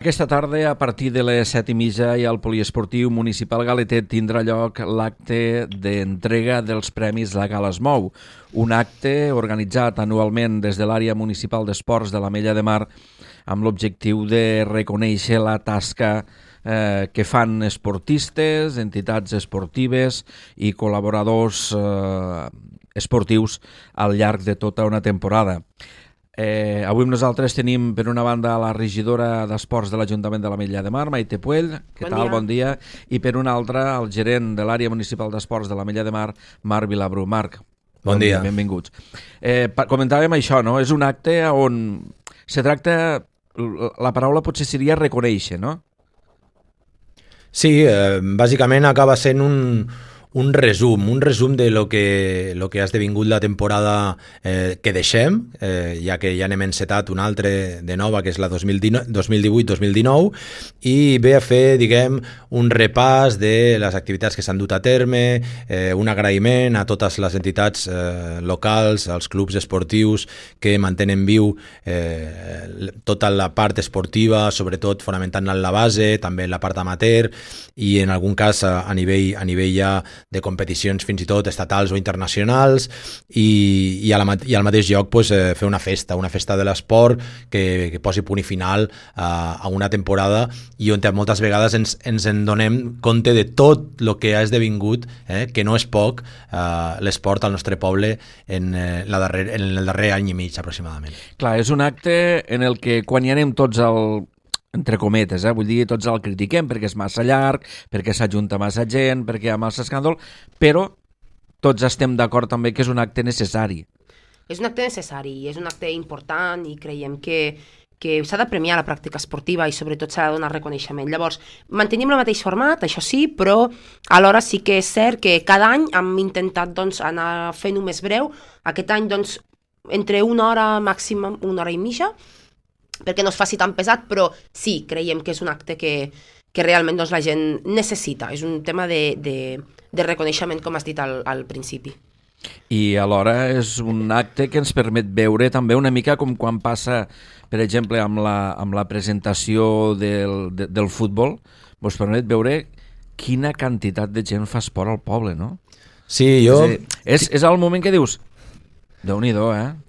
Aquesta tarda, a partir de les 7:30, i al Poliesportiu Municipal Galetet tindrà lloc l'acte d'entrega dels Premis La Gala es Mou, un acte organitzat anualment des de l'àrea municipal d'esports de l'Ametlla de Mar amb l'objectiu de reconèixer la tasca que fan esportistes, entitats esportives i col·laboradors esportius al llarg de tota una temporada. Avui nosaltres tenim per una banda la regidora d'Esports de l'Ajuntament de l'Ametlla de Mar, Maite Puell, què tal? Bon dia. I per una altra el gerent de l'àrea municipal d'Esports de l'Ametlla de Mar, Marc Vilabrú. Marc, bon dia. Benvinguts. Comentàvem això, no? És un acte on se tracta, la paraula potser seria reconèixer, no? Sí, bàsicament acaba sent un resum de lo que ha esdevingut la temporada que deixem, ja que ja n'hem encetat una altra de nova, que és la 2018-2019, i ve a fer, diguem, un repàs de les activitats que s'han dut a terme, un agraïment a totes les entitats locals, als clubs esportius que mantenen viu tota la part esportiva, sobretot fonamentant la base, també la part amateur, i en algun cas a nivell ja de competicions fins i tot estatals o internacionals, i al mateix lloc pues, fer una festa de l'esport que posi punt i final a una temporada, i on moltes vegades ens en donem compte de tot el que ha esdevingut, que no és poc, l'esport al nostre poble en el darrer any i mig aproximadament. Clar, és un acte en el que quan hi anem tots entre cometes, vull dir, tots el critiquem perquè és massa llarg, perquè s'ajunta massa gent, perquè hi ha massa escàndol, però tots estem d'acord també que és un acte necessari. És un acte necessari, és un acte important, i creiem que s'ha de premiar la pràctica esportiva i sobretot s'ha de donar reconeixement. Llavors, mantenim el mateix format, això sí, però alhora sí que és cert que cada any hem intentat anar fent-ho més breu. Aquest any, entre una hora màxima, una hora i mitja, perquè no es faci tan pesat, però sí, creiem que és un acte que realment la gent necessita. És un tema de reconeixement, com has dit al principi. I alhora és un acte que ens permet veure també una mica com quan passa, per exemple, amb la presentació del futbol, ens permet veure quina quantitat de gent fa esport al poble, no? Sí, jo... És el moment que dius... Déu-n'hi-do,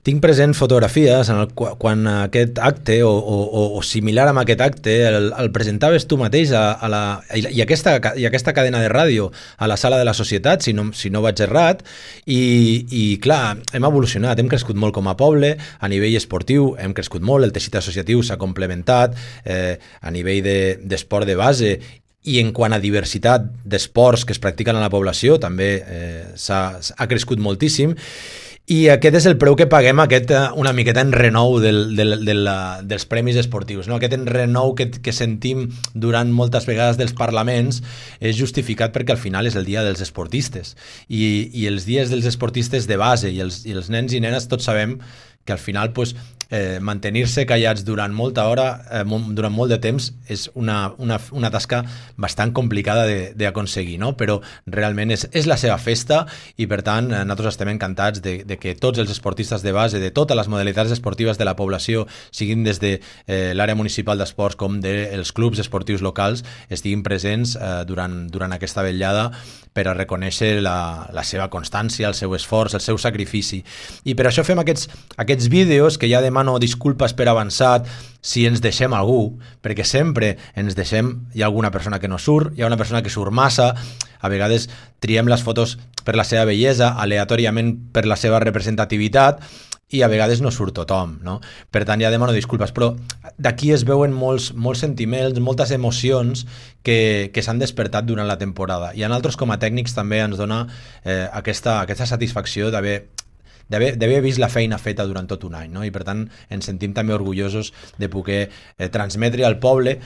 Tinc present fotografies quan aquest acte o similar amb aquest acte el presentaves tu mateix i aquesta cadena de ràdio a la sala de la societat, si no vaig errat, i clar, hem evolucionat, hem crescut molt com a poble, a nivell esportiu hem crescut molt, el teixit associatiu s'ha complementat, a nivell d'esport de base, i en quant a diversitat d'esports que es practiquen a la població també ha crescut moltíssim. I aquest és el preu que paguem, una miqueta en renou dels premis esportius, no? Aquest en renou que sentim durant moltes vegades dels parlaments és justificat perquè al final és el dia dels esportistes, i els dies dels esportistes de base i els nens i nenes tots sabem que al final mantenir-se callats durant molt de temps és una tasca bastant complicada d'aconseguir, no? Però realment és la seva festa, i per tant nosaltres estem encantats de que tots els esportistes de base de totes les modalitats esportives de la població, siguin des de l'àrea municipal d'esports com dels clubs esportius locals, estiguin presents durant aquesta vetllada per a reconèixer la seva constància, el seu esforç, el seu sacrifici. I per això fem aquests vídeos, que ja demano disculpes per avançat si ens deixem algú, perquè sempre ens deixem, hi ha alguna persona que no surt, hi ha una persona que surt massa, a vegades triem les fotos per la seva bellesa, aleatòriament per la seva representativitat, i a vegades no surt tothom, no? Per tant, ja demano disculpes, però d'aquí es veuen molts sentiments, moltes emocions que s'han despertat durant la temporada, i a nosaltres com a tècnics també ens dona aquesta satisfacció d'haver vist la feina feta durant tot un any, no? I per tant ens sentim també orgullosos de poder transmetre al poble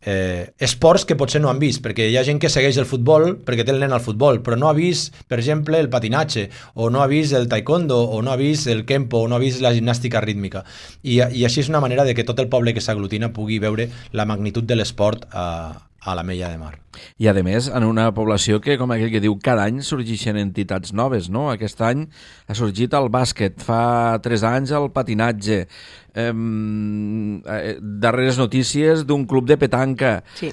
esports que potser no han vist, perquè hi ha gent que segueix el futbol perquè té el nen al futbol, però no ha vist, per exemple, el patinatge, o no ha vist el taekwondo, o no ha vist el kempo, o no ha vist la gimnàstica rítmica, i així és una manera de que tot el poble que s'aglutina pugui veure la magnitud de l'esport a a l'Ametlla de Mar. I, a més, en una població que, com aquell que diu, cada any sorgeixen entitats noves, no? Aquest any ha sorgit el bàsquet, fa 3 anys el patinatge, darreres notícies d'un club de petanca. Sí.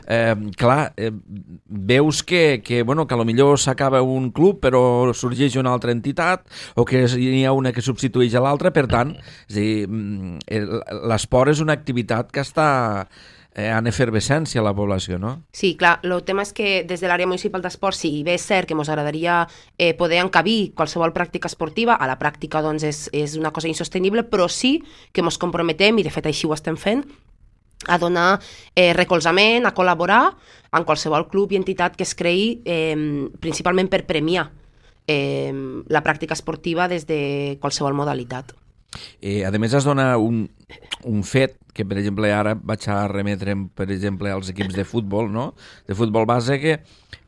Veus que potser s'acaba un club però sorgeix una altra entitat o que hi ha una que substitueix a l'altra, per tant, és a dir, l'esport és una activitat que està en efervescència a la població, no? Sí, clar, el tema és que des de l'àrea municipal d'esport, sí, bé és cert que ens agradaria poder encabir qualsevol pràctica esportiva, a la pràctica doncs és una cosa insostenible, però sí que ens comprometem, i de fet així ho estem fent, a donar recolzament, a col·laborar en qualsevol club i entitat que es creï, principalment per premiar la pràctica esportiva des de qualsevol modalitat. A més, es dona un fet que, per exemple, ara vaig a remetre, per exemple, als equips de futbol, no? De futbol base,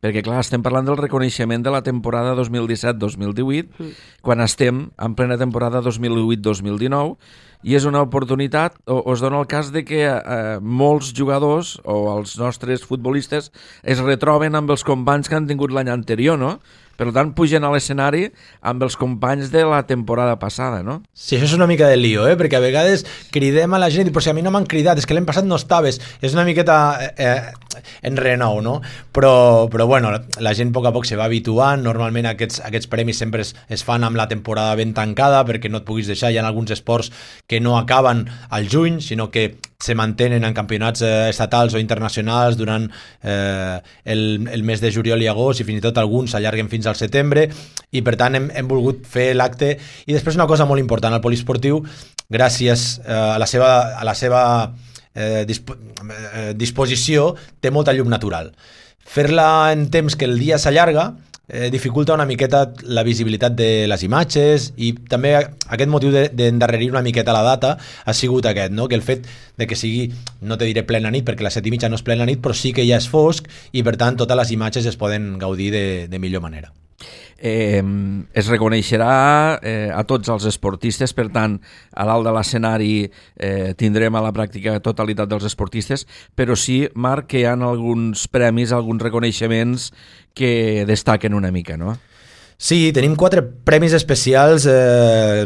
perquè, clar, estem parlant del reconeixement de la temporada 2017-2018, quan estem en plena temporada 2008-2019, i és una oportunitat, o es dona el cas de que molts jugadors o els nostres futbolistes es retroben amb els companys que han tingut l'any anterior, no? Per tant, pugen a l'escenari amb els companys de la temporada passada, no? Sí, això és una mica de lío, perquè a vegades cridem a la gent i dic, però si a mi no m'han cridat, és que l'any passat no estaves. És una miqueta en renou, no? Però bueno, la gent a poc se va habituant. Normalment aquests premis sempre es fan amb la temporada ben tancada perquè no et puguis deixar. Hi ha alguns esports que no acaben al juny, sinó que se mantenen en campionats estatals o internacionals durant el mes de juliol i agost, i fins i tot alguns s'allarguen fins al setembre, i per tant hem volgut fer l'acte. I després una cosa molt important, el poliesportiu, gràcies a la seva disposició, té molta llum natural. Fer-la en temps que el dia s'allarga dificulta una miqueta la visibilitat de les imatges, i també aquest motiu d'endarrerir una miqueta la data ha sigut aquest, no? Que el fet de que sigui, no te diré plena nit, perquè les 7:30 no és plena nit, però sí que ja és fosc, i per tant totes les imatges es poden gaudir de millor manera. Es reconeixerà a tots els esportistes, per tant, a dalt de l'escenari tindrem a la pràctica totalitat dels esportistes, però sí, Marc, que hi ha alguns premis, alguns reconeixements que destaquen una mica, no? Sí, tenim 4 premis especials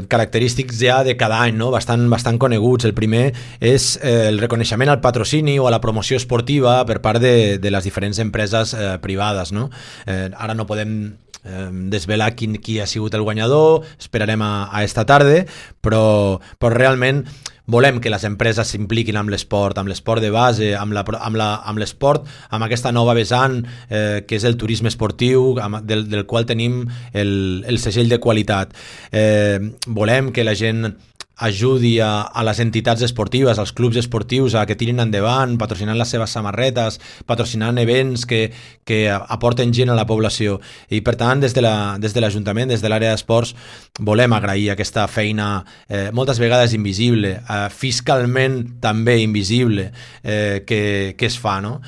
característics ja de cada any, no? bastant coneguts. El primer és el reconeixement al patrocini o a la promoció esportiva per part de les diferents empreses privades, no? Ara no podem desvelar qui ha sigut el guanyador, esperarem a esta tarda, però realment volem que les empreses s'impliquin amb l'esport de base, amb l'esport, amb aquesta nova vessant que és el turisme esportiu, del qual tenim el segell de qualitat. Volem que la gent ajudi a les entitats esportives, als clubs esportius, a que tirin endavant, patrocinant les seves samarretes, patrocinant events que aporten gent a la població. I per tant, des de l'Ajuntament, des de l'àrea d'esports, volem agrair aquesta feina moltes vegades invisible, fiscalment també invisible, que es fa, no?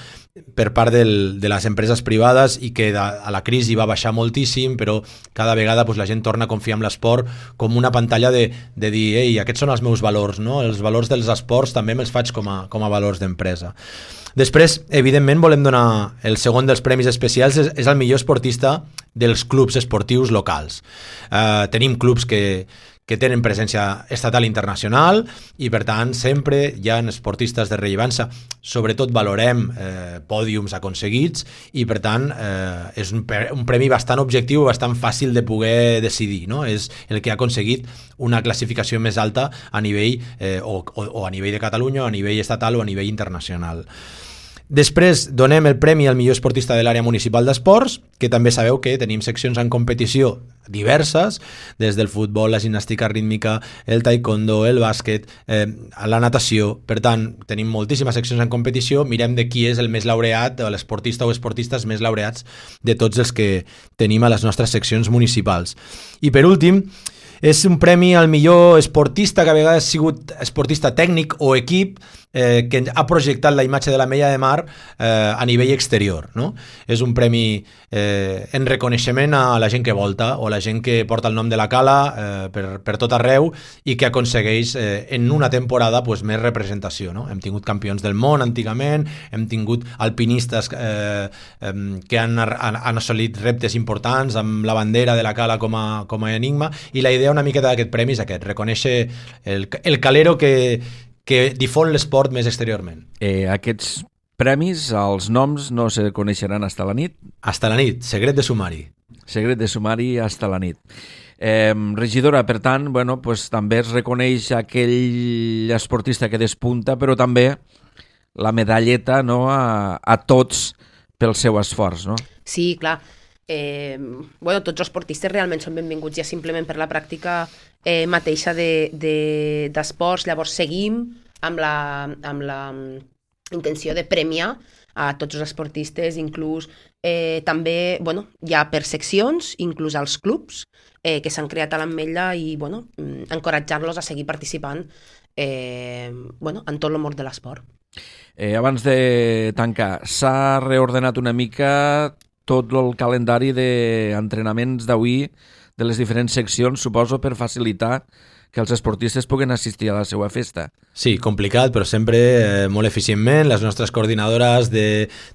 Per part de les empreses privades, i que a la crisi va baixar moltíssim, però cada vegada la gent torna a confiar en l'esport com una pantalla de dir, ei, aquests són els meus valors, no? Els valors dels esports també me'ls faig com a valors d'empresa. Després, evidentment, volem donar el segon dels premis especials, és el millor esportista dels clubs esportius locals. Tenim clubs que tenen presència estatal i internacional, i per tant sempre hi ha esportistes de rellevància. Sobretot valorem pòdiums aconseguits, i per tant és un premi bastant objectiu, bastant fàcil de poder decidir, no? És el que ha aconseguit una classificació més alta a nivell o a nivell de Catalunya, o a nivell estatal, o a nivell internacional. Després donem el premi al millor esportista de l'àrea municipal d'esports, que també sabeu que tenim seccions en competició diverses, des del futbol, la gimnàstica rítmica, el taekwondo, el bàsquet, la natació. Per tant, tenim moltíssimes seccions en competició. Mirem de qui és el més laureat, l'esportista o esportistes més laureats de tots els que tenim a les nostres seccions municipals. I per últim, és un premi al millor esportista, que a vegades ha sigut esportista tècnic o equip, que ha projectat la imatge de l'Ametlla de Mar a nivell exterior, no? És un premi en reconeixement a la gent que volta o la gent que porta el nom de la cala per tot arreu i que aconsegueix en una temporada pues, més representació, no? Hem tingut campions del món antigament, hem tingut alpinistes que han assolit reptes importants amb la bandera de la cala com a enigma, i la idea una miqueta d'aquest premi és aquest, reconèixer el calero que difon l'esport més exteriorment. Aquests premis, els noms no se coneixeran hasta la nit? Hasta la nit, secret de sumari. Secret de sumari hasta la nit. Regidora, per tant, bueno, pues, també es reconeix aquell esportista que despunta, però també la medalleta, no, a tots pel seu esforç, no? Sí, clar. Bueno, tots els esportistes realment són benvinguts ja simplement per la pràctica mateixa d'esports. Llavors seguim amb la intenció de premiar a tots els esportistes, inclús també, bueno, hi ha per seccions, inclús als clubs que s'han creat a l'Ametlla, i bueno, encoratjar-los a seguir participant bueno, en tot el món de l'esport. Abans de tancar, s'ha reordenat una mica tot el calendari d'entrenaments d'avui de les diferents seccions, suposo, per facilitar que els esportistes puguen assistir a la seva festa. Sí, complicat, però sempre molt eficientment. Les nostres coordinadores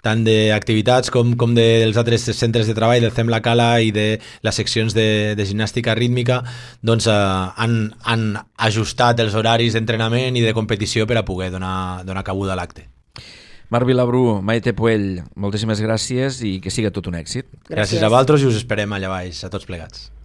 tant d'activitats com dels altres centres de treball del CEM La Cala i de les seccions de gimnàstica rítmica doncs, han ajustat els horaris d'entrenament i de competició per a poder donar cabuda a l'acte. Marc Vilabrú, Maite Puell, moltíssimes gràcies i que siga tot un èxit. Gràcies a vosaltres i us esperem allà baix, a tots plegats.